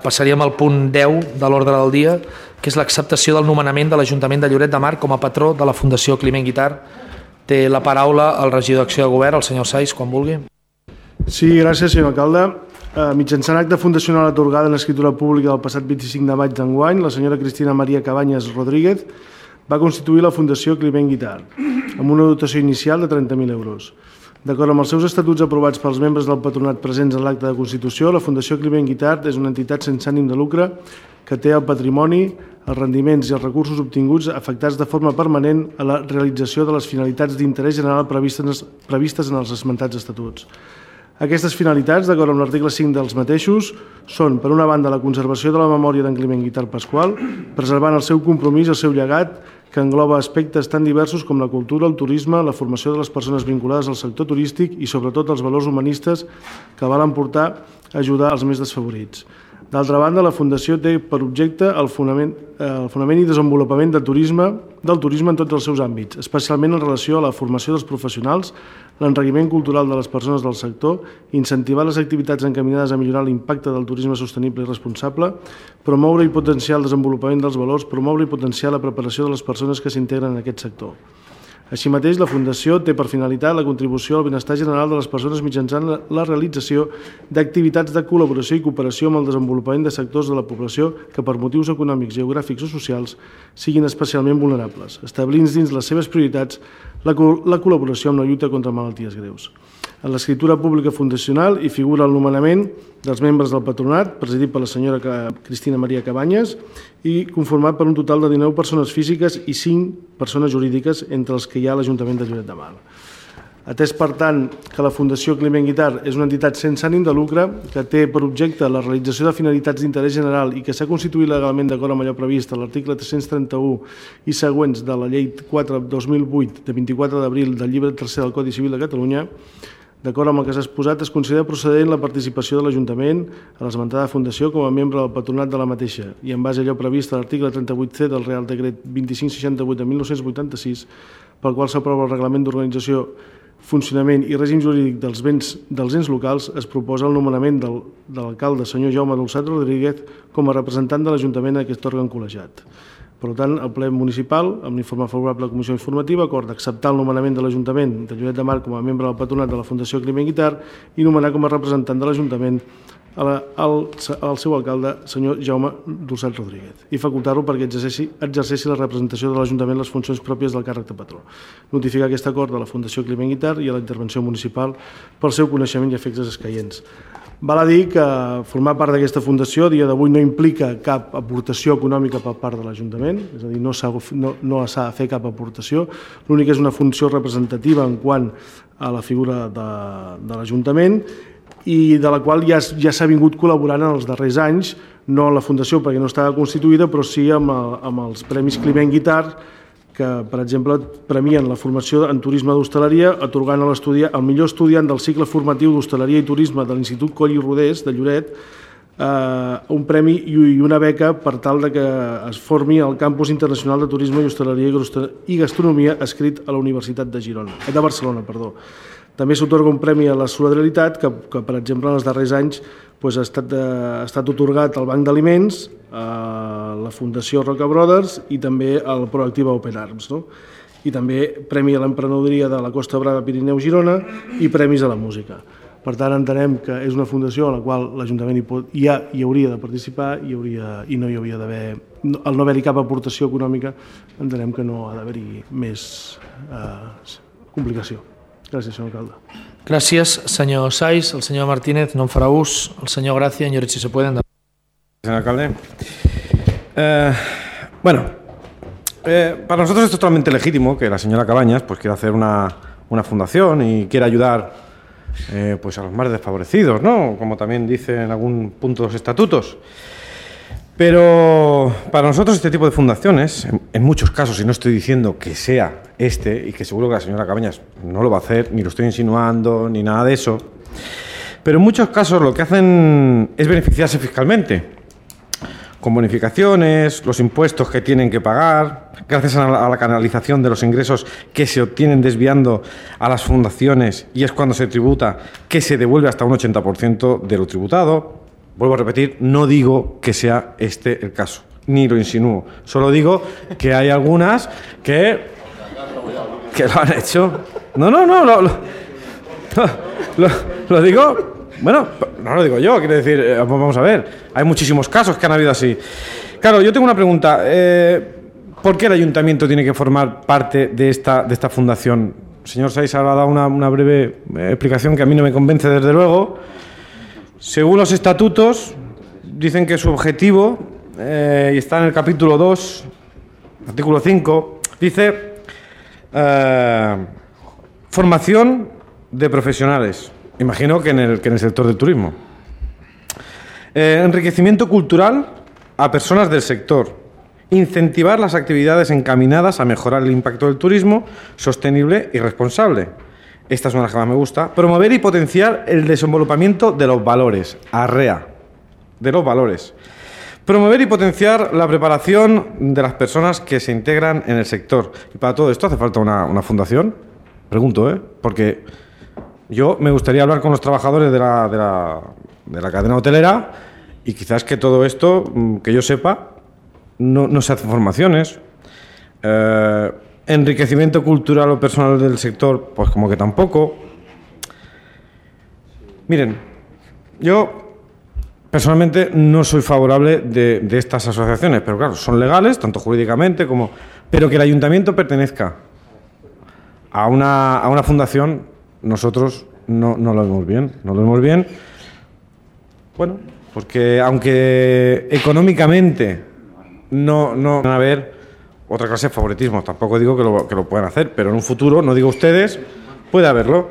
passaríem al punt 10 de l'ordre del dia, que és l'acceptació del nomenament de l'Ajuntament de Lloret de Mar com a patró de la Fundació Climent Guitart. Té la paraula el regidor d'Acció de Govern, el senyor Sais, quan vulgui. Sí, gràcies, senyor alcalde. Mitjançant acte fundacional atorgada en l'escriptura pública del passat 25 de maig d'enguany, la senyora Cristina Maria Cabanyes Rodríguez va constituir la Fundació Climent Guitart, amb una dotació inicial de 30.000 euros. D'acord amb els seus estatuts aprovats pels membres del patronat presents en l'acte de constitució, la Fundació Climent Guitart és una entitat sense ànim de lucre que té el patrimoni, els rendiments i els recursos obtinguts afectats de forma permanent a la realització de les finalitats d'interès general previstes en els esmentats estatuts. Aquestes finalitats, d'acord amb l'article 5 dels mateixos, són, per una banda, la conservació de la memòria d'en Climent Guitart Pasqual, preservant el seu compromís i el seu llegat, que engloba aspectes tan diversos com la cultura, el turisme, la formació de les persones vinculades al sector turístic i, sobretot, els valors humanistes que valen portar a ajudar els més desfavorits. D'altra banda, la Fundació té per objecte el fonament i desenvolupament del turisme en tots els seus àmbits, especialment en relació a la formació dels professionals, l'enriquiment cultural de les persones del sector, incentivar les activitats encaminades a millorar l'impacte del turisme sostenible i responsable, promoure i potenciar el desenvolupament dels valors, promoure i potenciar la preparació de les persones que s'integren en aquest sector. Així mateix, la Fundació té per finalitat la contribució al benestar general de les persones mitjançant la realització d'activitats de col·laboració i cooperació amb el desenvolupament de sectors de la població que per motius econòmics, geogràfics o socials siguin especialment vulnerables, establint dins les seves prioritats la col·laboració amb la lluita contra malalties greus. En l'escriptura pública fundacional hi figura el nomenament dels membres del patronat, presidit per la senyora Cristina Maria Cabanyes, i conformat per un total de 19 persones físiques i 5 persones jurídiques, entre els que hi ha l'Ajuntament de Lloret de Mar. Atès, per tant, que la Fundació Climent Guitart és una entitat sense ànim de lucre que té per objecte la realització de finalitats d'interès general i que s'ha constituït legalment d'acord amb allò previst a l'article 331 i següents de la Llei 4/2008 de 24 d'abril del llibre 3 del Codi Civil de Catalunya, d'acord amb el que s'ha exposat, es considera procedent la participació de l'Ajuntament a l'esmentada Fundació com a membre del patronat de la mateixa i en base a allò previst a l'article 38C del Real Decret 2568 de 1986, pel qual s'aprova el Reglament d'Organització, Funcionament i Règim Jurídic dels ens locals, es proposa el nomenament de l'alcalde, senyor Jaume Dolçat Rodríguez, com a representant de l'Ajuntament en aquest òrgan col·legiat. Per tant, el ple municipal, amb l'informe favorable de la Comissió Informativa, acorda acceptar el nomenament de l'Ajuntament de Lloret de Mar com a membre del patronat de la Fundació Climent Guitart i nomenar com a representant de l'Ajuntament el seu alcalde, senyor Jaume Dolçat Rodríguez, i facultar-lo perquè exerceixi la representació de l'Ajuntament les funcions pròpies del càrrec de patró. Notificar aquest acord a la Fundació Climent Guitart i a la intervenció municipal pel seu coneixement i efectes escaients. Val a dir que formar part d'aquesta fundació a dia d'avui no implica cap aportació econòmica per part de l'Ajuntament, és a dir, no s'ha de fer cap aportació, l'únic és una funció representativa en quant a la figura de l'Ajuntament i de la qual ja s'ha vingut col·laborant en els darrers anys, no en la fundació perquè no estava constituïda, però sí amb els Premis Climent Guitart, que, per exemple, premien la formació en turisme d'hostaleria, atorgant al millor estudiant del cicle formatiu d'hostaleria i turisme de l'Institut Coll i Rodés de Lloret un premi i una beca per tal que es formi al Campus Internacional de Turisme i Hostaleria i Gastronomia adscrit a la Universitat de Barcelona. També s'atorga un premi a la solidaritat que, per exemple, en els darrers anys ha estat atorgat al Banc d'Aliments, a la Fundació Roca Brothers i també al Proactiva Open Arms. I també premi a l'emprenedoria de la Costa Brava Pirineu Girona i premis a la música. Per tant, entenem que és una fundació a la qual l'Ajuntament hi hauria de participar i no hi hauria d'haver, al no haver-hi cap aportació econòmica, entenem que no ha d'haver-hi més complicació. Gràcies, senyor alcalde. Gràcies, senyor Sais. El senyor Martínez no en farà ús. El senyor Gracia, señores, si se pueden. Señor alcalde. Para nosotros es totalmente legítimo que la señora Cabañas quiera hacer una fundación y quiera ayudar a los más desfavorecidos, ¿no? Como también dice en algún punto los estatutos. Pero para nosotros este tipo de fundaciones, en muchos casos, y no estoy diciendo que sea y que seguro que la señora Cabañas no lo va a hacer, ni lo estoy insinuando, ni nada de eso, pero en muchos casos lo que hacen es beneficiarse fiscalmente, con bonificaciones, los impuestos que tienen que pagar, gracias a la canalización de los ingresos que se obtienen desviando a las fundaciones, y es cuando se tributa que se devuelve hasta un 80% de lo tributado. Vuelvo a repetir, no digo que sea este el caso, ni lo insinúo. Solo digo que hay algunas que lo han hecho. No, lo digo. Bueno, no lo digo yo, quiero decir, vamos a ver, hay muchísimos casos que han habido así. Claro, yo tengo una pregunta. ¿Por qué el ayuntamiento tiene que formar parte de esta fundación? El señor Saiz ha dado una breve explicación que a mí no me convence, desde luego. Según los estatutos, dicen que su objetivo, y está en el capítulo 2, artículo 5, dice formación de profesionales. Imagino que en el sector del turismo. Enriquecimiento cultural a personas del sector. Incentivar las actividades encaminadas a mejorar el impacto del turismo sostenible y responsable. Esta es una de las que más me gusta. Promover y potenciar el desenvolupamiento de los valores. Arrea. De los valores. Promover y potenciar la preparación de las personas que se integran en el sector. ¿Y para todo esto hace falta una fundación? Pregunto, porque yo me gustaría hablar con los trabajadores de la cadena hotelera y quizás que todo esto, que yo sepa, no se hacen formaciones. Enriquecimiento cultural o personal del sector, pues como que tampoco. Miren, yo personalmente no soy favorable de estas asociaciones, pero claro, son legales, tanto jurídicamente como... Pero que el ayuntamiento pertenezca a una fundación, nosotros no lo vemos bien. No lo vemos bien, bueno, porque aunque económicamente no van a haber otra clase de favoritismo, tampoco digo que lo puedan hacer, pero en un futuro, no digo ustedes, puede haberlo.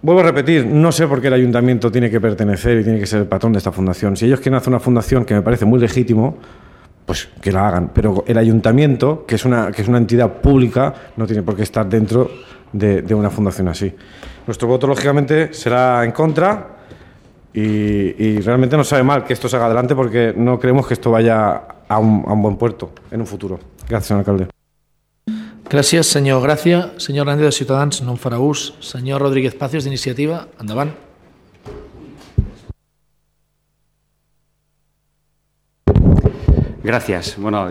Vuelvo a repetir, no sé por qué el ayuntamiento tiene que pertenecer y tiene que ser el patrón de esta fundación. Si ellos quieren hacer una fundación, que me parece muy legítimo, pues que la hagan. Pero el ayuntamiento, que es una entidad pública, no tiene por qué estar dentro de una fundación así. Nuestro voto, lógicamente, será en contra y realmente nos sabe mal que esto se haga adelante porque no creemos que esto vaya a un buen puerto en un futuro. Gracias, señor alcalde. Gràcies, senyor Gràcia. Senyor Hernández, de Ciutadans, no en farà ús. Senyor Rodríguez Pacios, d'Iniciativa, endavant. Gracias. Bueno,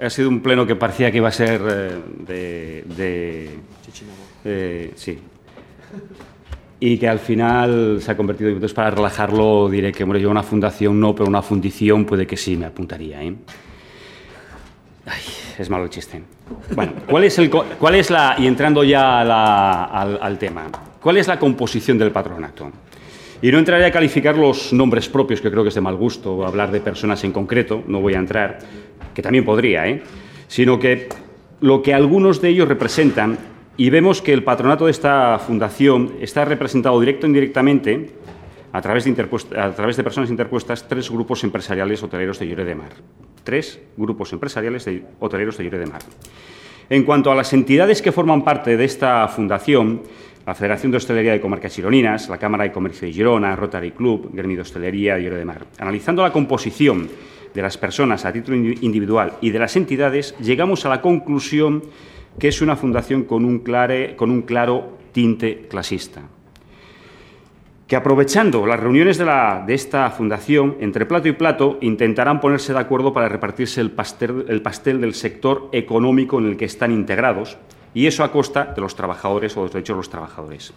ha sido un pleno que parecía que iba a ser sí. Y que al final se ha convertido, entonces para relajarlo diré que, bueno, yo una fundación no, pero una fundición puede que sí me apuntaría, Ay, es malo el chiste. Bueno, ¿cuál es la, y entrando ya al tema, cuál es la composición del patronato? Y no entraré a calificar los nombres propios, que creo que es de mal gusto, o hablar de personas en concreto, no voy a entrar, que también podría, sino que lo que algunos de ellos representan, y vemos que el patronato de esta fundación está representado directo e indirectamente a través de personas interpuestas, 3 grupos empresariales hoteleros de Lloret de Mar. 3 grupos empresariales hoteleros de Lloret de Mar. En cuanto a las entidades que forman parte de esta fundación, la Federación de Hostelería de Comarcas Gironinas, la Cámara de Comercio de Girona, Rotary Club, Gremio de Hostelería de Lloret de Mar. Analizando la composición de las personas a título individual y de las entidades, llegamos a la conclusión que es una fundación con un claro tinte clasista. Que aprovechando las reuniones de esta fundación, entre plato y plato, intentarán ponerse de acuerdo para repartirse el pastel del sector económico en el que están integrados, y eso a costa de los trabajadores o de los derechos de los trabajadores.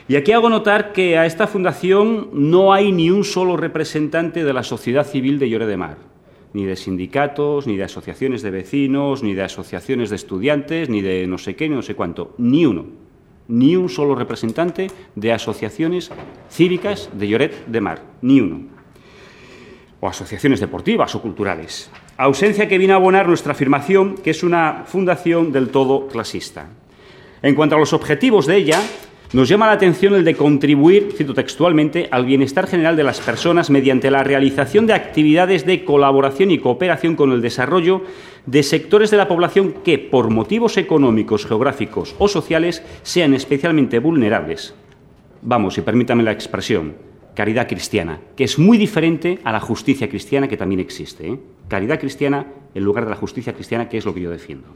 Y aquí hago notar que a esta fundación no hay ni un solo representante de la sociedad civil de Lloret de Mar, ni de sindicatos, ni de asociaciones de vecinos, ni de asociaciones de estudiantes, ni de no sé qué, ni no sé cuánto, ni uno. Ni un solo representante de asociaciones cívicas de Lloret de Mar, ni uno. O asociaciones deportivas o culturales. Ausencia que viene a abonar nuestra afirmación que es una fundación del todo clasista. En cuanto a los objetivos de ella, nos llama la atención el de contribuir, cito textualmente, al bienestar general de las personas mediante la realización de actividades de colaboración y cooperación con el desarrollo de sectores de la población que, por motivos económicos, geográficos o sociales, sean especialmente vulnerables. Vamos, y permítanme la expresión, caridad cristiana, que es muy diferente a la justicia cristiana que también existe. Caridad cristiana en lugar de la justicia cristiana, que es lo que yo defiendo.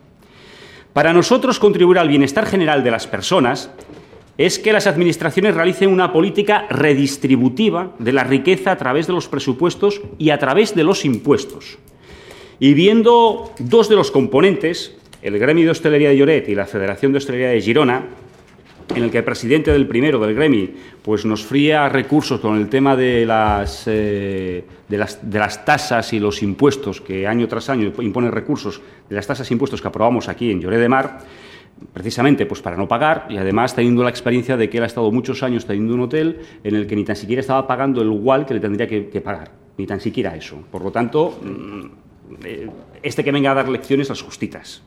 Para nosotros, contribuir al bienestar general de las personas es que las administraciones realicen una política redistributiva de la riqueza a través de los presupuestos y a través de los impuestos. Y viendo dos de los componentes, el Gremi de Hostelería de Lloret y la Federación de Hostelería de Girona, en el que el presidente del primero, del Gremi, pues nos fría recursos con el tema de las tasas y los impuestos, que año tras año impone recursos de las tasas e impuestos que aprobamos aquí en Lloret de Mar, precisamente pues para no pagar, y además teniendo la experiencia de que él ha estado muchos años teniendo un hotel en el que ni tan siquiera estaba pagando el igual que le tendría que pagar, ni tan siquiera eso. Por lo tanto, que venga a dar lecciones las justitas.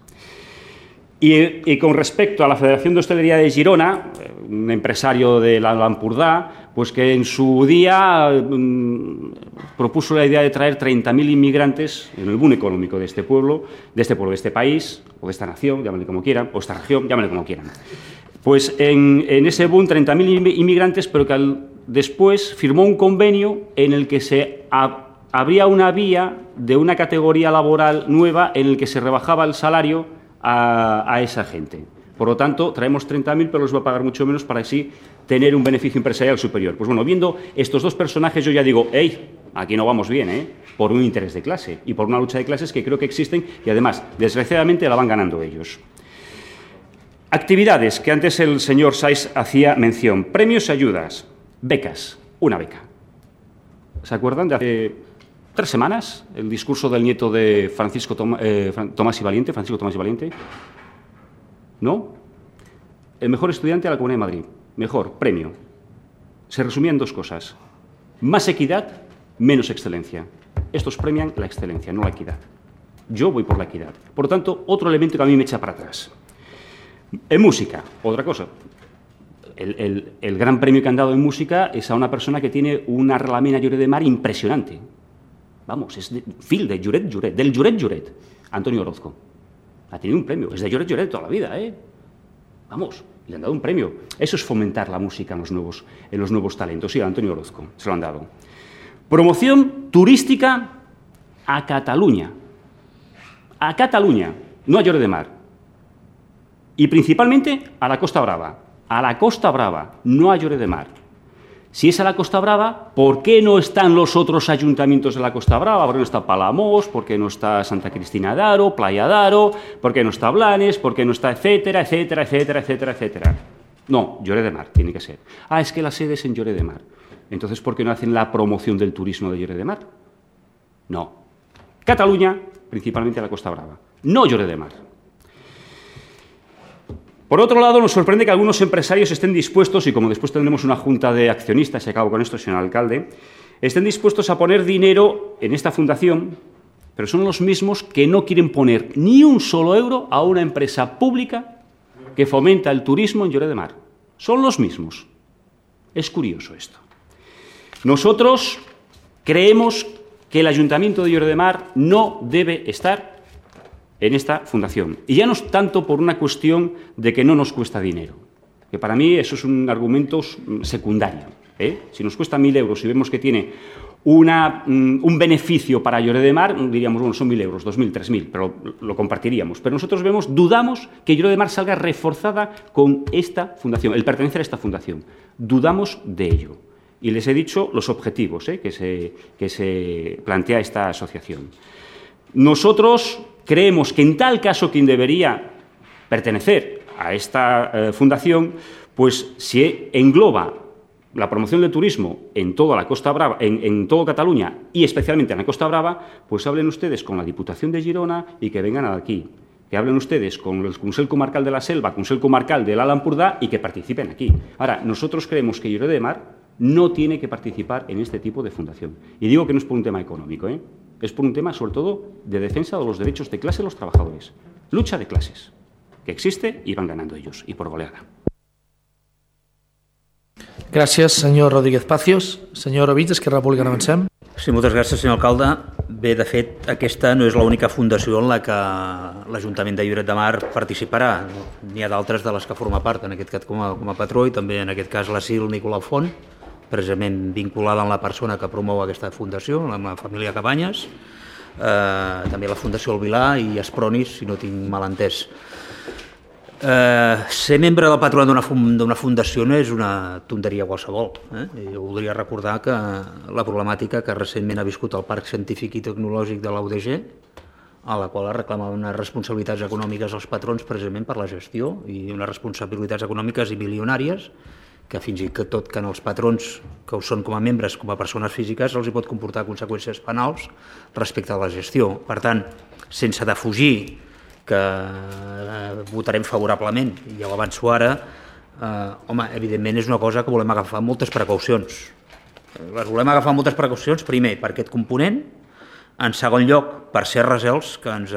Y con respecto a la Federación de Hostelería de Girona, un empresario de l'Empordà, pues que en su día propuso la idea de traer 30.000 inmigrantes en el boom económico de este pueblo, de este país, o de esta nación, llámale como quieran, o esta región, llámale como quieran. Pues en ese boom 30.000 inmigrantes, pero que después firmó un convenio en el que se abría una vía de una categoría laboral nueva en el que se rebajaba el salario a esa gente. Por lo tanto, traemos 30.000, pero los va a pagar mucho menos para así tener un beneficio empresarial superior. Pues bueno, viendo estos dos personajes, yo ya digo, aquí no vamos bien, por un interés de clase y por una lucha de clases que creo que existen y además, desgraciadamente, la van ganando ellos. Actividades que antes el señor Saiz hacía mención. Premios y ayudas. Becas. Una beca. ¿Se acuerdan de hace 3 semanas el discurso del nieto de Francisco Tomás y Valiente? ¿No? El mejor estudiante de la Comunidad de Madrid. Mejor, premio. Se resumía en 2 cosas. Más equidad, menos excelencia. Estos premian la excelencia, no la equidad. Yo voy por la equidad. Por lo tanto, otro elemento que a mí me echa para atrás. En música, otra cosa. El gran premio que han dado en música es a una persona que tiene una relamena Lloret de Mar impresionante. Vamos, es del Lloret, Antonio Orozco. Ha tenido un premio, es de Lloret toda la vida, Vamos, le han dado un premio. Eso es fomentar la música en los nuevos talentos. Sí, a Antonio Orozco se lo han dado. Promoción turística a Cataluña. A Cataluña, no a Lloret de Mar. Y principalmente a la Costa Brava. A la Costa Brava, no a Lloret de Mar. Si es a la Costa Brava, ¿por qué no están los otros ayuntamientos de la Costa Brava? ¿Por qué no está Palamós? ¿Por qué no está Santa Cristina d'Aro, Playa d'Aro? ¿Por qué no está Blanes? ¿Por qué no está etcétera? No, Lloret de Mar tiene que ser. Es que la sede es en Lloret de Mar. Entonces, ¿por qué no hacen la promoción del turismo de Lloret de Mar? No. Cataluña, principalmente a la Costa Brava. No Lloret de Mar. Por otro lado, nos sorprende que algunos empresarios estén dispuestos, y como después tendremos una junta de accionistas, y acabo con esto, señor alcalde, estén dispuestos a poner dinero en esta fundación, pero son los mismos que no quieren poner ni un solo euro a una empresa pública que fomenta el turismo en Lloret de Mar. Son los mismos. Es curioso esto. Nosotros creemos que el Ayuntamiento de Lloret de Mar no debe estar en esta fundación. Y ya no es tanto por una cuestión de que no nos cuesta dinero, que para mí eso es un argumento secundario. Si nos cuesta 1.000 euros y vemos que tiene un beneficio para Lloret de Mar, diríamos, bueno, son 1.000 euros, 2.000, 3.000, pero lo compartiríamos. Pero nosotros dudamos que Lloret de Mar salga reforzada con esta fundación, el pertenecer a esta fundación. Dudamos de ello. Y les he dicho los objetivos que se plantea esta asociación. Nosotros creemos que en tal caso quien debería pertenecer a esta fundación, pues si engloba la promoción del turismo en toda la Costa Brava, en toda Cataluña y especialmente en la Costa Brava, pues hablen ustedes con la Diputación de Girona y que vengan aquí. Que hablen ustedes con el Consell Comarcal de la Selva, Consell Comarcal del Alt Empordà y que participen aquí. Ahora, nosotros creemos que Lloret de Mar no tiene que participar en este tipo de fundación. Y digo que no es por un tema económico, es por un tema, sobre todo, de defensa de los derechos de clase de los trabajadores. Lucha de clases, que existe y van ganando ellos, y por goleada. Gràcies, senyor Rodríguez Pacios. Senyor Ovich, Esquerra Republicana, avancem. Sí, moltes gràcies, senyor alcalde. Bé, de fet, aquesta no és l'única fundació en la que l'Ajuntament de Lloret de Mar participarà. N'hi ha d'altres de les que forma part, en aquest cas com a patró, i també en aquest cas l'Asil Nicolau Font, precisament vinculada amb la persona que promou aquesta fundació, amb la família Cabanyes, també la Fundació El Vilà i Espronis, si no tinc mal entès. Ser membre del patronat d'una fundació no és una tonteria qualsevol. Jo voldria recordar que la problemàtica que recentment ha viscut el Parc Científic i Tecnològic de l'UDG, a la qual es reclamaven unes responsabilitats econòmiques als patrons precisament per la gestió i unes responsabilitats econòmiques i milionàries que fins i tot que en els patrons que ho són com a membres, com a persones físiques, els hi pot comportar conseqüències penals respecte a la gestió. Per tant, sense defugir que votarem favorablement, i ja ho avanço ara, evidentment és una cosa que volem agafar amb moltes precaucions. Les volem agafar amb moltes precaucions, primer, per aquest component, en segon lloc, per ser recels que ens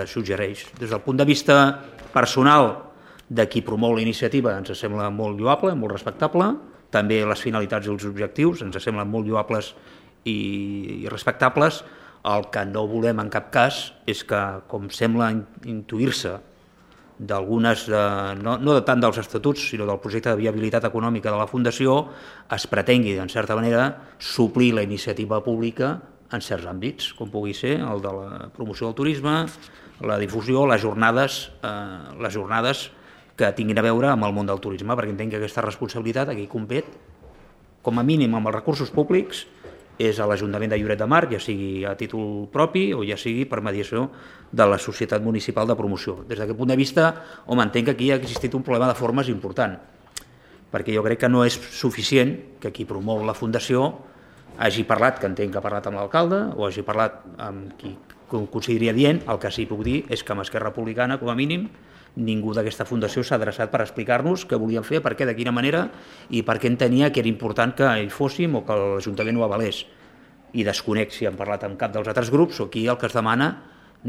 suggereix. Des del punt de vista personal de qui promou la iniciativa ens sembla molt lloable, molt respectable, també les finalitats i els objectius ens semblen molt lloables i respectables. El que no volem en cap cas és que, com sembla intuir-se d'algunes, no tant dels estatuts, sinó del projecte de viabilitat econòmica de la Fundació, es pretengui, en certa manera, suplir la iniciativa pública en certs àmbits, com pugui ser el de la promoció del turisme, la difusió, les jornades que tinguin a veure amb el món del turisme, perquè entenc que aquesta responsabilitat aquí compet, com a mínim amb els recursos públics, és a l'Ajuntament de Lloret de Mar, ja sigui a títol propi o ja sigui per mediació de la Societat Municipal de Promoció. Des d'aquest punt de vista, entenc que aquí ha existit un problema de formes important, perquè jo crec que no és suficient que qui promou la Fundació hagi parlat, que entenc que ha parlat amb l'alcalde, o hagi parlat amb qui consideri adient. El que sí puc dir és que amb Esquerra Republicana, com a mínim, ningú d'aquesta fundació s'ha adreçat per explicar-nos què volien fer, per què, de quina manera i per què entenia que era important que hi fóssim o que l'Ajuntament ho avalés. I desconec si han parlat amb cap dels altres grups o aquí el que es demana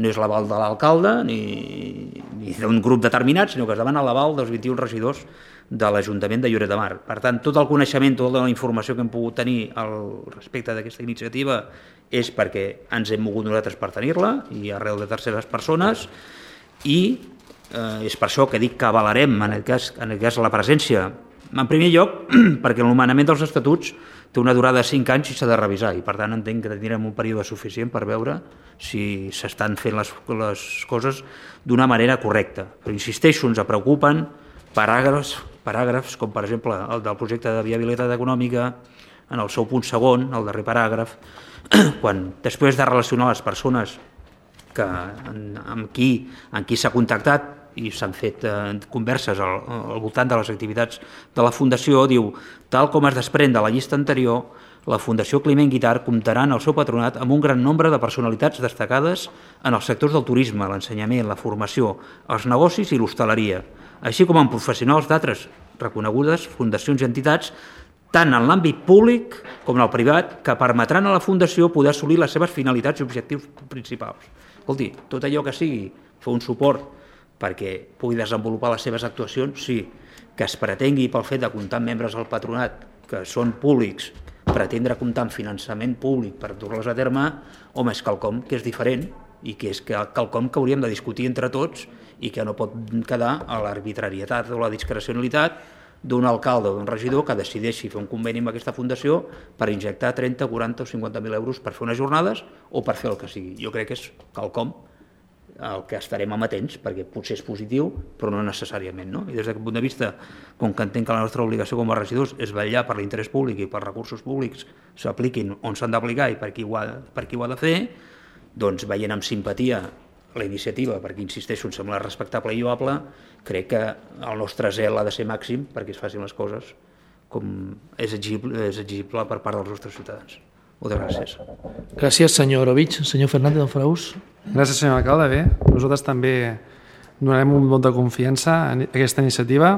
no és l'aval de l'alcalde ni d'un grup determinat, sinó que es demana l'aval dels 21 regidors de l'Ajuntament de Lloret de Mar. Per tant, tot el coneixement, tota la informació que hem pogut tenir al respecte d'aquesta iniciativa és perquè ens hem mogut nosaltres per tenir-la i arrel de terceres persones i és per això que dic que avalarem en aquest cas la presència. En primer lloc, perquè el nomenament dels estatuts té una durada de 5 anys i s'ha de revisar i per tant entenc que tindrem un període suficient per veure si s'estan fent les coses d'una manera correcta. Però insisteixo, ens preocupen paràgrafs com per exemple el del projecte de viabilitat econòmica en el seu punt segon, el darrer paràgraf, quan després de relacionar les persones amb qui s'ha contactat i s'han fet converses al voltant de les activitats de la Fundació, diu, tal com es desprèn de la llista anterior, la Fundació Climent Guitart comptarà en el seu patronat amb un gran nombre de personalitats destacades en els sectors del turisme, l'ensenyament, la formació, els negocis i l'hostaleria, així com amb professionals d'altres reconegudes fundacions i entitats, tant en l'àmbit públic com en el privat, que permetran a la Fundació poder assolir les seves finalitats i objectius principals. Escolti, tot allò que sigui fer un suport perquè pugui desenvolupar les seves actuacions, sí, que es pretengui pel fet de comptar amb membres del patronat que són públics, pretendre comptar amb finançament públic per dur-les a terme, home, és quelcom que és diferent i que és quelcom que hauríem de discutir entre tots i que no pot quedar a l'arbitrarietat o la discrecionalitat d'un alcalde o d'un regidor que decideixi fer un conveni amb aquesta fundació per injectar 30, 40 o 50.000 euros per fer unes jornades o per fer el que sigui. Jo crec que és quelcom el que estarem amatents, perquè potser és positiu, però no necessàriament. No? I des d'aquest punt de vista, com que entenc que la nostra obligació com a regidors és vetllar per l'interès públic i per recursos públics s'apliquin on s'han d'aplicar i per qui ho ha de fer, doncs veient amb simpatia la iniciativa, perquè insisteixo, em sembla respectable i lloable, crec que el nostre zel ha de ser màxim perquè es facin les coses com és exigible per part dels nostres ciutadans. Moltes gràcies. Gràcies, senyor Orovich. Senyor Fernández del Faraús. Gràcies, senyor alcalde. Bé, nosaltres també donarem un vot de confiança a aquesta iniciativa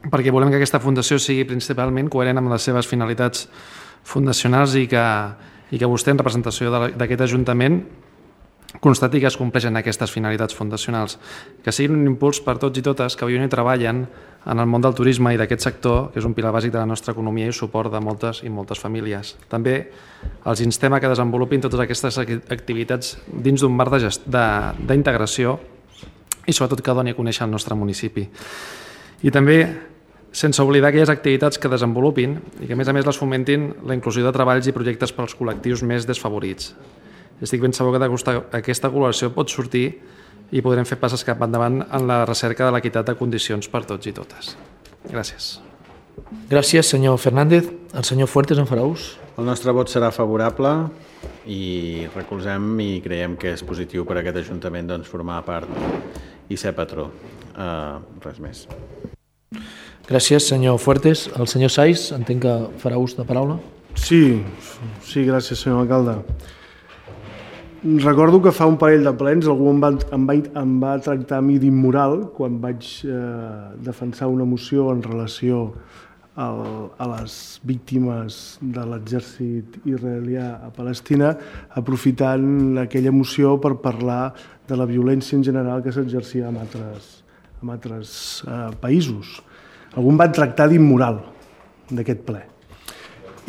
perquè volem que aquesta fundació sigui principalment coherent amb les seves finalitats fundacionals i que vostè, en representació d'aquest Ajuntament, constati que es compleixen aquestes finalitats fundacionals, que siguin un impuls per tots i totes que viuen i treballen en el món del turisme i d'aquest sector, que és un pilar bàsic de la nostra economia i suport de moltes i moltes famílies. També els instem a que desenvolupin totes aquestes activitats dins d'un marc d'integració i sobretot que doni a conèixer el nostre municipi. I també sense oblidar aquelles activitats que desenvolupin i que a més les fomentin la inclusió de treballs i projectes pels col·lectius més desfavorits. Estic ben segur que aquesta col·laboració pot sortir i podrem fer passes cap endavant en la recerca de l'equitat de condicions per tots i totes. Gràcies. Gràcies, senyor Fernández. El senyor Fuertes en farà ús. El nostre vot serà favorable i recolzem i creiem que és positiu per a aquest Ajuntament formar part i ser patró. Res més. Gràcies, senyor Fuertes. El senyor Saiz, entenc que farà ús de paraula. Sí, gràcies, senyor alcalde. Recordo que fa un parell de plens algú em va tractar a mi d'immoral quan vaig defensar una moció en relació a les víctimes de l'exèrcit israelià a Palestina, aprofitant aquella moció per parlar de la violència en general que s'exercia en altres països. Algú em va tractar d'immoral d'aquest ple.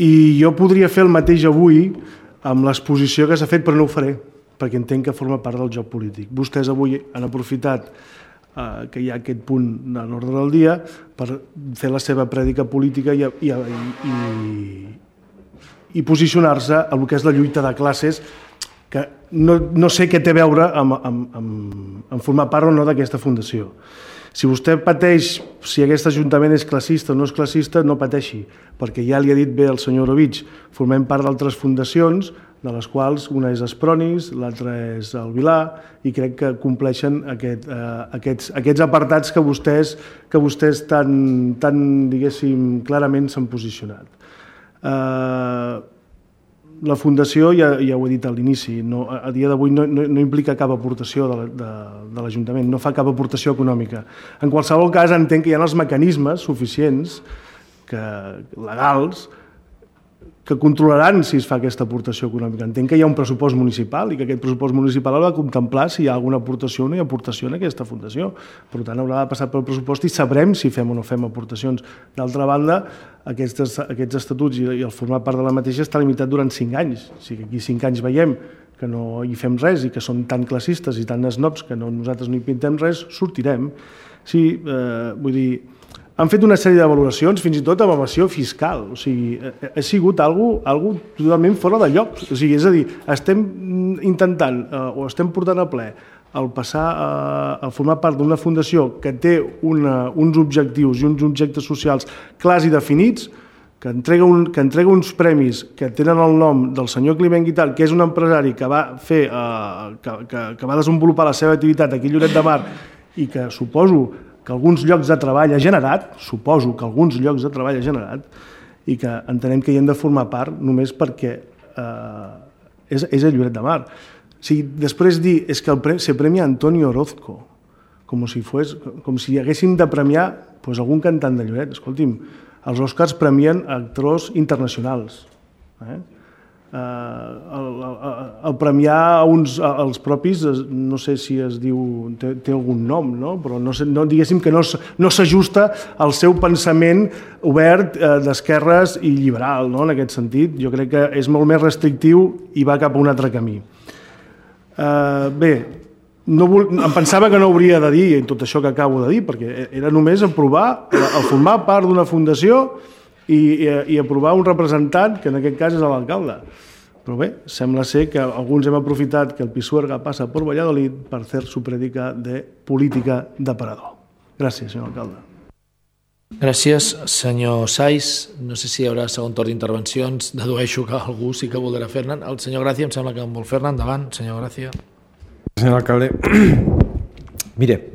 I jo podria fer el mateix avui amb l'exposició que s'ha fet, però no ho faré, perquè entenc que forma part del joc polític. Vostès avui han aprofitat que hi ha aquest punt de l'ordre del dia per fer la seva prèdica política i posicionar-se a el que és la lluita de classes, que no sé què té a veure amb formar part o no d'aquesta fundació. Si vostè pateix si aquest Ajuntament és classista o no és classista, no pateixi, perquè ja li ha dit bé el senyor Orovich, formem part d'altres fundacions, de les quals una és Espronis, l'altra és el Vilar, i crec que compleixen aquests apartats que vostès tan diguéssim, clarament s'han posicionat. La Fundació, ja ho he dit a l'inici, a dia d'avui no implica cap aportació de l'Ajuntament, no fa cap aportació econòmica. En qualsevol cas, entenc que hi ha els mecanismes suficients, legals, que controlaran si es fa aquesta aportació econòmica. Entenc que hi ha un pressupost municipal i que aquest pressupost municipal haurà de contemplar si hi ha alguna aportació o no hi ha aportació en aquesta fundació. Per tant, haurà de passar pel pressupost i sabrem si fem o no fem aportacions. D'altra banda, aquests estatuts i el formar part de la mateixa està limitat durant 5 anys. Si aquí 5 anys veiem que no hi fem res i que són tan classistes i tan snobs que nosaltres no hi pintem res, sortirem. Sí, vull dir, han fet una sèrie de valoracions, fins i tot amb evasió fiscal. O sigui, ha sigut algo totalment fora de lloc. O sigui, és a dir, estem intentant o estem portant a ple el passar a formar part d'una fundació que té uns objectius i uns objectes socials clars i definits, que entrega uns premis que tenen el nom del senyor Climent Guitart, que és un empresari que va desenvolupar la seva activitat aquí a Lloret de Mar i que suposo que alguns llocs de treball ha generat, i que entenem que hi hem de formar part només perquè és a Lloret de Mar. O sigui, després dir és que se premia Antonio Orozco, com si haguéssim de premiar algun cantant de Lloret. Escolti'm, els Oscars premien actors internacionals. El premiar els propis, no sé si es diu, té algun nom, però diguéssim que no s'ajusta al seu pensament obert d'esquerres i liberal, en aquest sentit. Jo crec que és molt més restrictiu i va cap a un altre camí. Bé, em pensava que no hauria de dir tot això que acabo de dir, perquè era només aprovar el formar part d'una fundació i aprovar un representant, que en aquest cas és l'alcalde. Però bé, sembla ser que alguns hem aprofitat que el Pisuerga passa per Valladolid per fer su prédica de política d'aparador. Gràcies, senyor alcalde. Gràcies, senyor Saiz. No sé si hi haurà segon torn d'intervencions. Dedueixo que algú sí que voldrà fer-ne. El senyor Gràcia em sembla que en vol fer-ne. Endavant, senyor Gràcia. Señor alcalde, mire,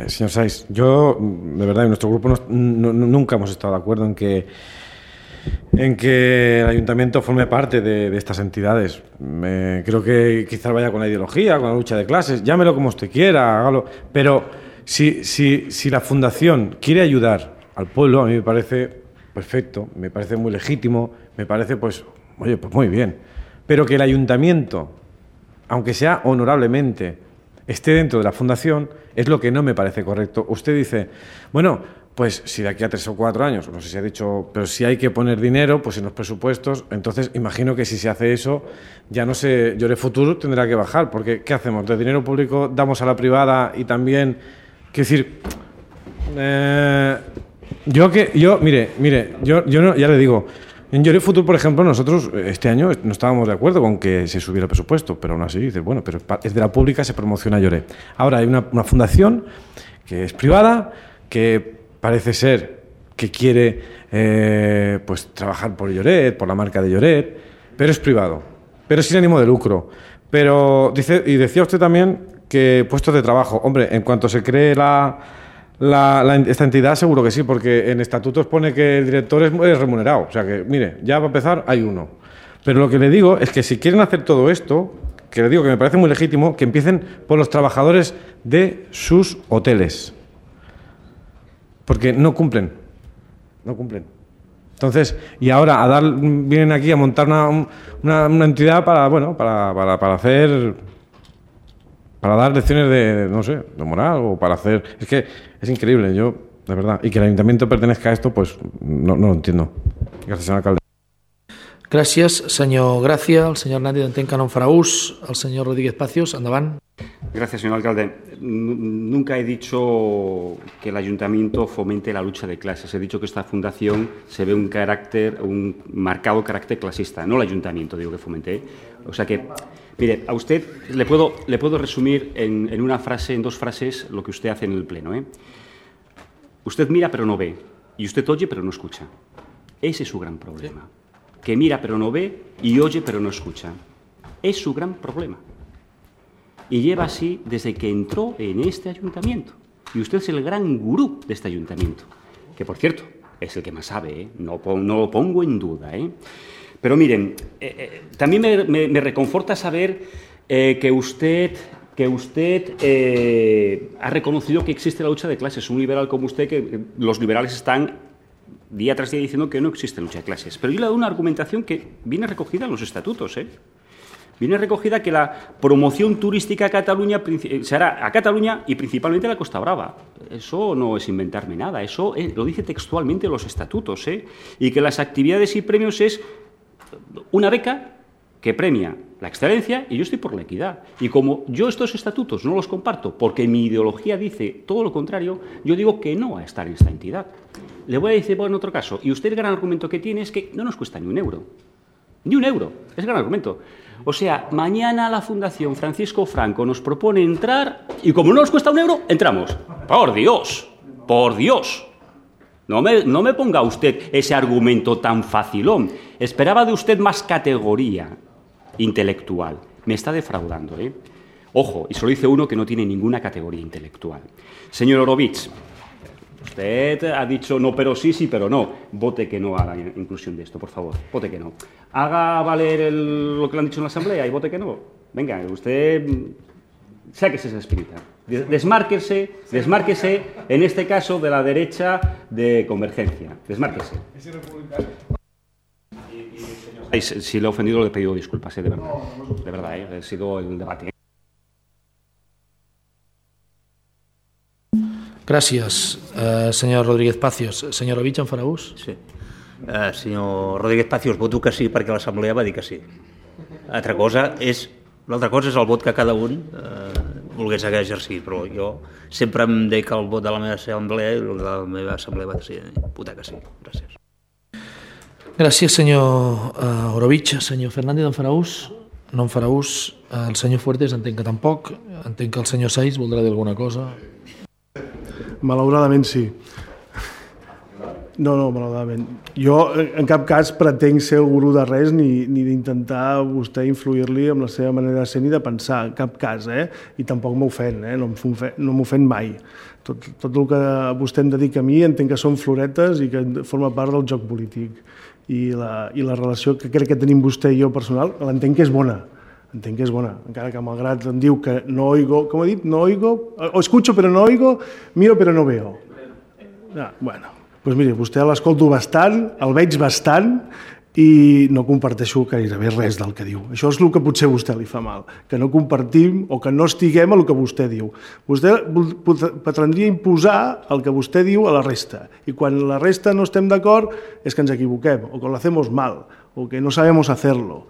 señor Saiz, yo, de verdad, en nuestro grupo nunca hemos estado de acuerdo en que el ayuntamiento forme parte de estas entidades. Creo que quizás vaya con la ideología, con la lucha de clases, llámelo como usted quiera, hágalo. Pero si la fundación quiere ayudar al pueblo, a mí me parece perfecto, me parece muy legítimo, me parece, pues muy bien. Pero que el ayuntamiento, aunque sea honorablemente, esté dentro de la fundación, es lo que no me parece correcto. Usted dice, bueno, pues si de aquí a 3 o 4 años, no sé si ha dicho, pero si hay que poner dinero, pues en los presupuestos, entonces imagino que si se hace eso, ya no sé, Lloret Futur tendrá que bajar, porque ¿qué hacemos? ¿De dinero público damos a la privada y también, quiero decir, mire, yo no, ya le digo, En Lloret Futur, por ejemplo, nosotros este año no estábamos de acuerdo con que se subiera el presupuesto, pero aún así dices, bueno, pero es de la pública, se promociona Lloret. Ahora hay una fundación que es privada, que parece ser que quiere pues trabajar por Lloret, por la marca de Lloret, pero es privado, pero sin ánimo de lucro. Pero decía usted también que puestos de trabajo, hombre, en cuanto se cree esta entidad, seguro que sí, porque en estatutos pone que el director es remunerado. O sea que, mire, ya para empezar hay uno. Pero lo que le digo es que si quieren hacer todo esto, que le digo que me parece muy legítimo, que empiecen por los trabajadores de sus hoteles. Porque no cumplen. Entonces, y ahora vienen aquí a montar una entidad para dar lecciones de moral o para hacer... Es que es increíble, de verdad. Y que el ayuntamiento pertenezca a esto, pues no lo entiendo. Gracias, señor alcalde. Gràcies, senyor Gràcia. El senyor Hernández entenc que no en farà ús. El senyor Rodríguez Pacios, endavant. Gracias, señor alcalde. Nunca he dicho que el ayuntamiento fomente la lucha de clases. He dicho que esta fundación se ve un marcado carácter clasista. No el ayuntamiento, digo que fomente. O sea que, mire, a usted le puedo resumir en una frase, en dos frases, lo que usted hace en el pleno. Usted mira pero no ve. Y usted oye pero no escucha. Ese es su gran problema. Que mira pero no ve y oye pero no escucha. Es su gran problema. Y lleva así desde que entró en este ayuntamiento. Y usted es el gran gurú de este ayuntamiento. Que, por cierto, es el que más sabe, no lo pongo en duda. Pero miren, también me reconforta saber que usted ha reconocido que existe la lucha de clases. Un liberal como usted, que los liberales están día tras día diciendo que no existe lucha de clases. Pero yo le doy una argumentación que viene recogida en los estatutos, Viene recogida que la promoción turística a Cataluña se hará a Cataluña y principalmente a la Costa Brava. Eso no es inventarme nada, eso lo dice textualmente los estatutos, y que las actividades y premios es una beca que premia la excelencia y yo estoy por la equidad. Y como yo estos estatutos no los comparto porque mi ideología dice todo lo contrario, yo digo que no a estar en esta entidad. Le voy a decir en otro caso, y usted el gran argumento que tiene es que no nos cuesta ni un euro. Ni un euro, es el gran argumento. O sea, mañana la Fundación Francisco Franco nos propone entrar y como no nos cuesta un euro, entramos. Por Dios, por Dios. No me ponga usted ese argumento tan facilón. Esperaba de usted más categoría intelectual. Me está defraudando, Ojo, y solo dice uno que no tiene ninguna categoría intelectual. Señor Orovich, usted ha dicho no, pero sí, sí, pero no. Vote que no a la inclusión de esto, por favor. Vote que no. Haga valer lo que le han dicho en la Asamblea y vote que no. Venga, usted sáquese esa espinita. Desmárquese, en este caso, de la derecha de Convergencia. Desmárquese. Si le he ofendido, le he pedido disculpas, de verdad. De verdad, ha sido el debate. Gràcies, senyor Rodríguez Pacios. Senyor Ovich, en farà ús? Sí. Senyor Rodríguez Pacios, voto que sí perquè l'Assemblea va dir que sí. L'altra cosa és el vot que cada un volgués exercir, però jo sempre em dic el vot de la meva assemblea i el de la meva assemblea va decidir votar que sí. Gràcies. Gràcies, senyor Orovich. Senyor Fernández, en farà ús? No en farà ús. El senyor Fuertes entenc que tampoc. Entenc que el senyor Saiz voldrà dir alguna cosa. Malauradament sí. No, malauradament. Jo en cap cas pretenc ser el gurú de res ni d'intentar vostè influir-li amb la seva manera de ser ni de pensar, en cap cas, i tampoc m'ofèn, no m'ofèn mai. Tot el que vostè em dedica a mi entenc que són floretes i que forma part del joc polític. I la relació que crec que tenim vostè i jo personal l'entenc que és bona. Entenc que és bona, encara que malgrat em diu que no oigo, com ha dit? No oigo, o escucho però no oigo, miro però no veo. Bueno, doncs miri, vostè l'escolto bastant, el veig bastant i no comparteixo gairebé res del que diu. Això és el que potser a vostè li fa mal, que no compartim o que no estiguem a el que vostè diu. Vostè pretendria imposar el que vostè diu a la resta i quan la resta no estem d'acord és que ens equivoquem o que lo hacemos mal o que no sabemos hacerlo.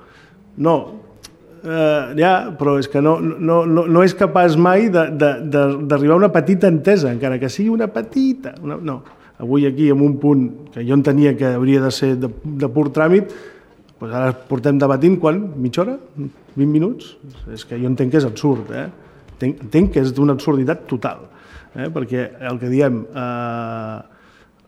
No, però és que no és capaç mai d'arribar a una petita entesa, encara que sigui una petita. No, avui aquí en un punt que jo entenia que hauria de ser de pur tràmit, doncs ara portem debatint, mitja hora? 20 minuts? És que jo entenc que és absurd, entenc que és d'una absurditat total, perquè el que diem,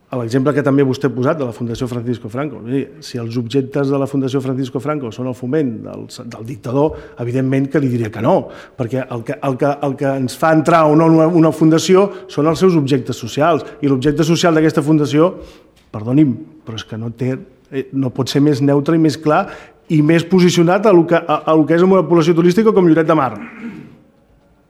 l'exemple que també vostè ha posat de la Fundació Francisco Franco, si els objectes de la Fundació Francisco Franco són el foment del dictador, evidentment que li diria que no, perquè el que ens fa entrar o no una fundació són els seus objectes socials, i l'objecte social d'aquesta fundació, perdoni'm, però és que no pot ser més neutre i més clar i més posicionat a el que és una població turística com Lloret de Mar.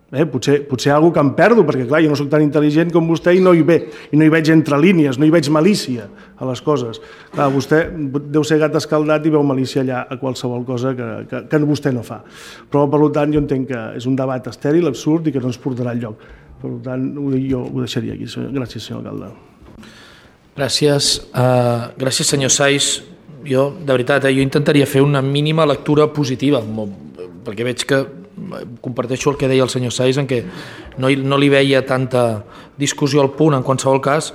Potser alguna que em perdo, perquè clar, jo no soc tan intel·ligent com vostè i no hi veig entre línies, no hi veig malícia a les coses. Clar, vostè deu ser gat escaldat i veu malícia allà a qualsevol cosa que vostè no fa. Però, per tant, jo entenc que és un debat estèril, absurd i que no ens portarà enlloc. Per tant, jo ho deixaria aquí. Gràcies, senyor alcalde. Gràcies, senyor Saiz. Jo, de veritat, jo intentaria fer una mínima lectura positiva, perquè veig que comparteixo el que deia el senyor Saiz, en què no li veia tanta discussió al punt. En qualsevol cas,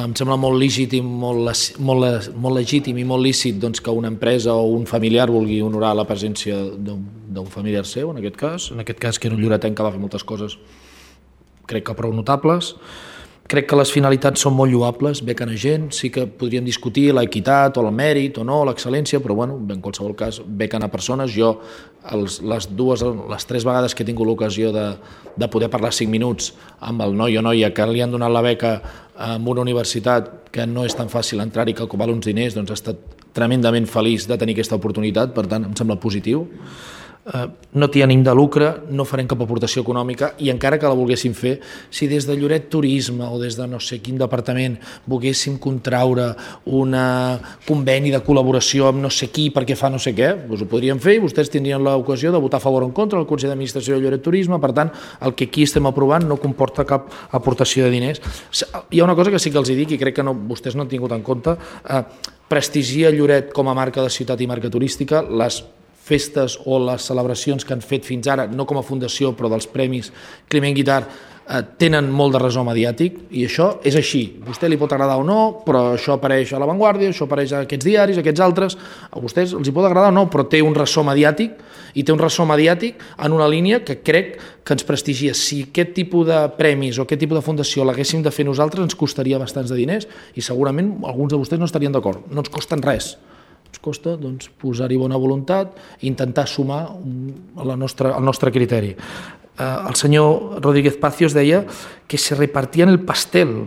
em sembla molt legítim, molt legítim i molt lícit que una empresa o un familiar vulgui honorar la presència d'un familiar seu, en aquest cas que era un lloretenc que va fer moltes coses, crec que prou notables. Crec que les finalitats són molt lloables, bequen a gent, sí que podríem discutir l'equitat o el mèrit o no, l'excel·lència, però bueno, en qualsevol cas bequen a persones. Jo les 3 vegades que he tingut l'ocasió de poder parlar 5 minuts amb el noi o noia que li han donat la beca en una universitat que no és tan fàcil entrar-hi, que val uns diners, doncs he estat tremendament feliç de tenir aquesta oportunitat, per tant em sembla positiu. No té ànim de lucre, no farem cap aportació econòmica, i encara que la volguéssim fer, si des de Lloret Turisme o des de no sé quin departament volguéssim contraure un conveni de col·laboració amb no sé qui perquè fa no sé què, doncs ho podríem fer i vostès tindrien l'ocasió de votar a favor o en contra al Consell d'Administració de Lloret Turisme. Per tant, el que aquí estem aprovant no comporta cap aportació de diners. Hi ha una cosa que sí que els dic i crec que vostès no han tingut en compte: prestigia Lloret com a marca de ciutat i marca turística. Les festes o les celebracions que han fet fins ara, no com a fundació, però dels Premis Climent Guitart, tenen molt de ressò mediàtic, i això és així. A vostè li pot agradar o no, però això apareix a La Vanguardia, això apareix a aquests diaris, a aquests altres. A vostès els hi pot agradar o no, però té un ressò mediàtic, i té un ressò mediàtic en una línia que crec que ens prestigia. Si aquest tipus de premis o aquest tipus de fundació l'haguéssim de fer nosaltres, ens costaria bastants de diners, i segurament alguns de vostès no estarien d'acord. No ens costen res. Ens costa posar-hi bona voluntat i intentar sumar el nostre criteri. El senyor Rodríguez Pacios deia que se repartien el pastel.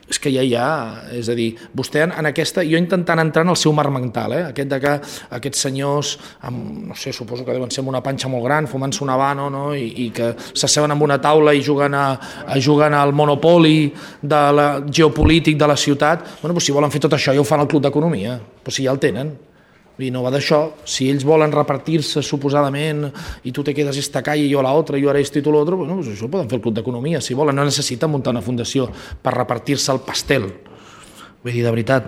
És que és a dir, vostè en aquesta, jo intentant entrar en el seu marc mental, aquest de que aquests senyors, no sé, suposo que deuen ser amb una panxa molt gran, fumant-se un habano, no? I que s'asseuen amb una taula i juguen al monopoli geopolític de la ciutat. Bueno, doncs si volen fer tot això ja ho fan al Club d'Economia, però si ja el tenen. I no va d'això. Si ells volen repartir-se suposadament i tu te quedes esta calle i jo a l'altra, jo ara esto i tu l'altre, bueno, pues això ho poden fer el Club d'Economia, si volen. No necessiten muntar una fundació per repartir-se el pastel. Vull dir, de veritat.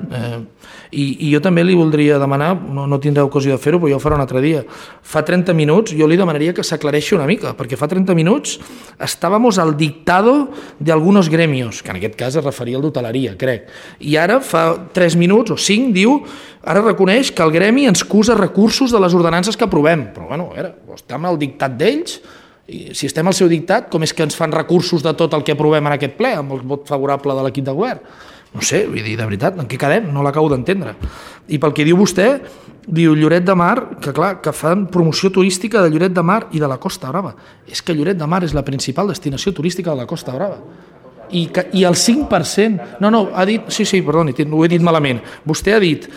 I jo també li voldria demanar, no tindré ocasió de fer-ho, però jo ho faré un altre dia. Fa 30 minuts jo li demanaria que s'aclareixi una mica, perquè fa 30 minuts estábamos al dictado de algunos gremios, que en aquest cas es referia al d'hoteleria, crec. I ara fa 3 minuts o 5 diu, ara reconeix que el gremi ens acusa recursos de les ordenances que aprovem. Però bueno, estem al dictat d'ells, i si estem al seu dictat, com és que ens fan recursos de tot el que aprovem en aquest ple, amb el vot favorable de l'equip de govern? No sé, vull dir, de veritat, en què quedem? No l'acabo d'entendre. I pel que diu vostè, diu Lloret de Mar, que clar, que fan promoció turística de Lloret de Mar i de la Costa Brava. És que Lloret de Mar és la principal destinació turística de la Costa Brava. I el 5%... No, ha dit... Sí, perdoni, ho he dit malament. Vostè ha dit,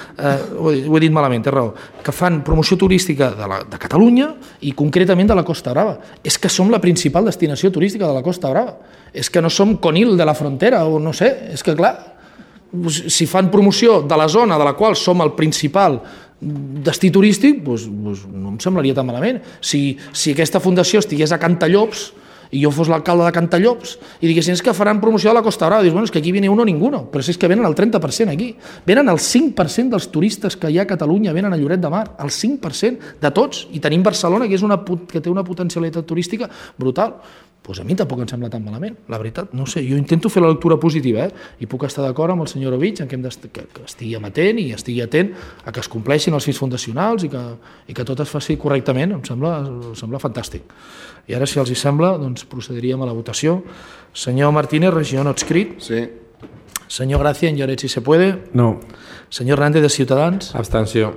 ho he dit malament, té raó, que fan promoció turística de Catalunya i concretament de la Costa Brava. És que som la principal destinació turística de la Costa Brava. És que no som Conil de la Frontera, o no sé, és que clar, si fan promoció de la zona de la qual som el principal destí turístic, doncs no em semblaria tan malament. Si aquesta fundació estigués a Cantallops i jo fos l'alcalde de Cantallops i diguessin que faran promoció de la Costa Brava, dius, bueno, és que aquí viene uno ninguno, però és que venen el 30% aquí. Venen el 5% dels turistes que hi ha a Catalunya, venen a Lloret de Mar, el 5% de tots, i tenim Barcelona, que té una potencialitat turística brutal. doncs a mi tampoc em sembla tan malament, la veritat. No sé, jo intento fer la lectura positiva, i puc estar d'acord amb el senyor Ovich en que estigui amatent i estigui atent a que es compleixin els fins fundacionals i que tot es faci correctament. Em sembla fantàstic. I ara, si els hi sembla, doncs procediríem a la votació. Senyor Martínez, regió no adscrit. Sí. Senyor Gracia, en Lloret, si se puede. No. Senyor Hernández, de Ciutadans. Abstenció.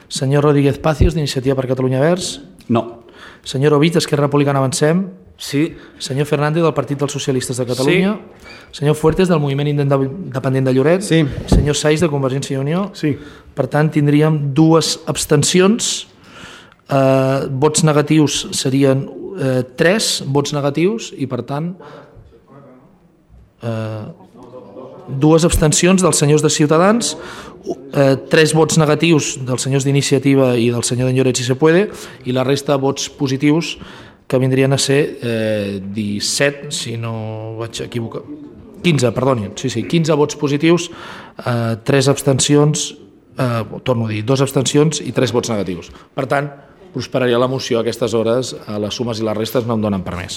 Senyor Rodríguez Pacios, d'Iniciativa per Catalunya Verds. No. Senyor Ovich, d'Esquerra Republicana Avancem. Sí. Senyor Fernández, del Partit dels Socialistes de Catalunya. Sí. Senyor Fuertes, del Moviment Independent de Lloret. Sí. Senyor Saiz, de Convergència i Unió. Sí. Per tant, tindríem 2 abstencions. Vots negatius serien 3 vots negatius i, per tant, 2 abstencions dels senyors de Ciutadans, 3 vots negatius dels senyors d'Iniciativa i del senyor d'en Lloret, si se puede, i la resta de vots positius, que vindrien a ser 17, si no vaig equivocar. 15, perdonin, sí, 15 vots positius, 3 abstencions, torno a dir, 2 abstencions i 3 vots negatius. Per tant, prosperaria la moció a aquestes hores, a les sumes i les restes no em donen permès.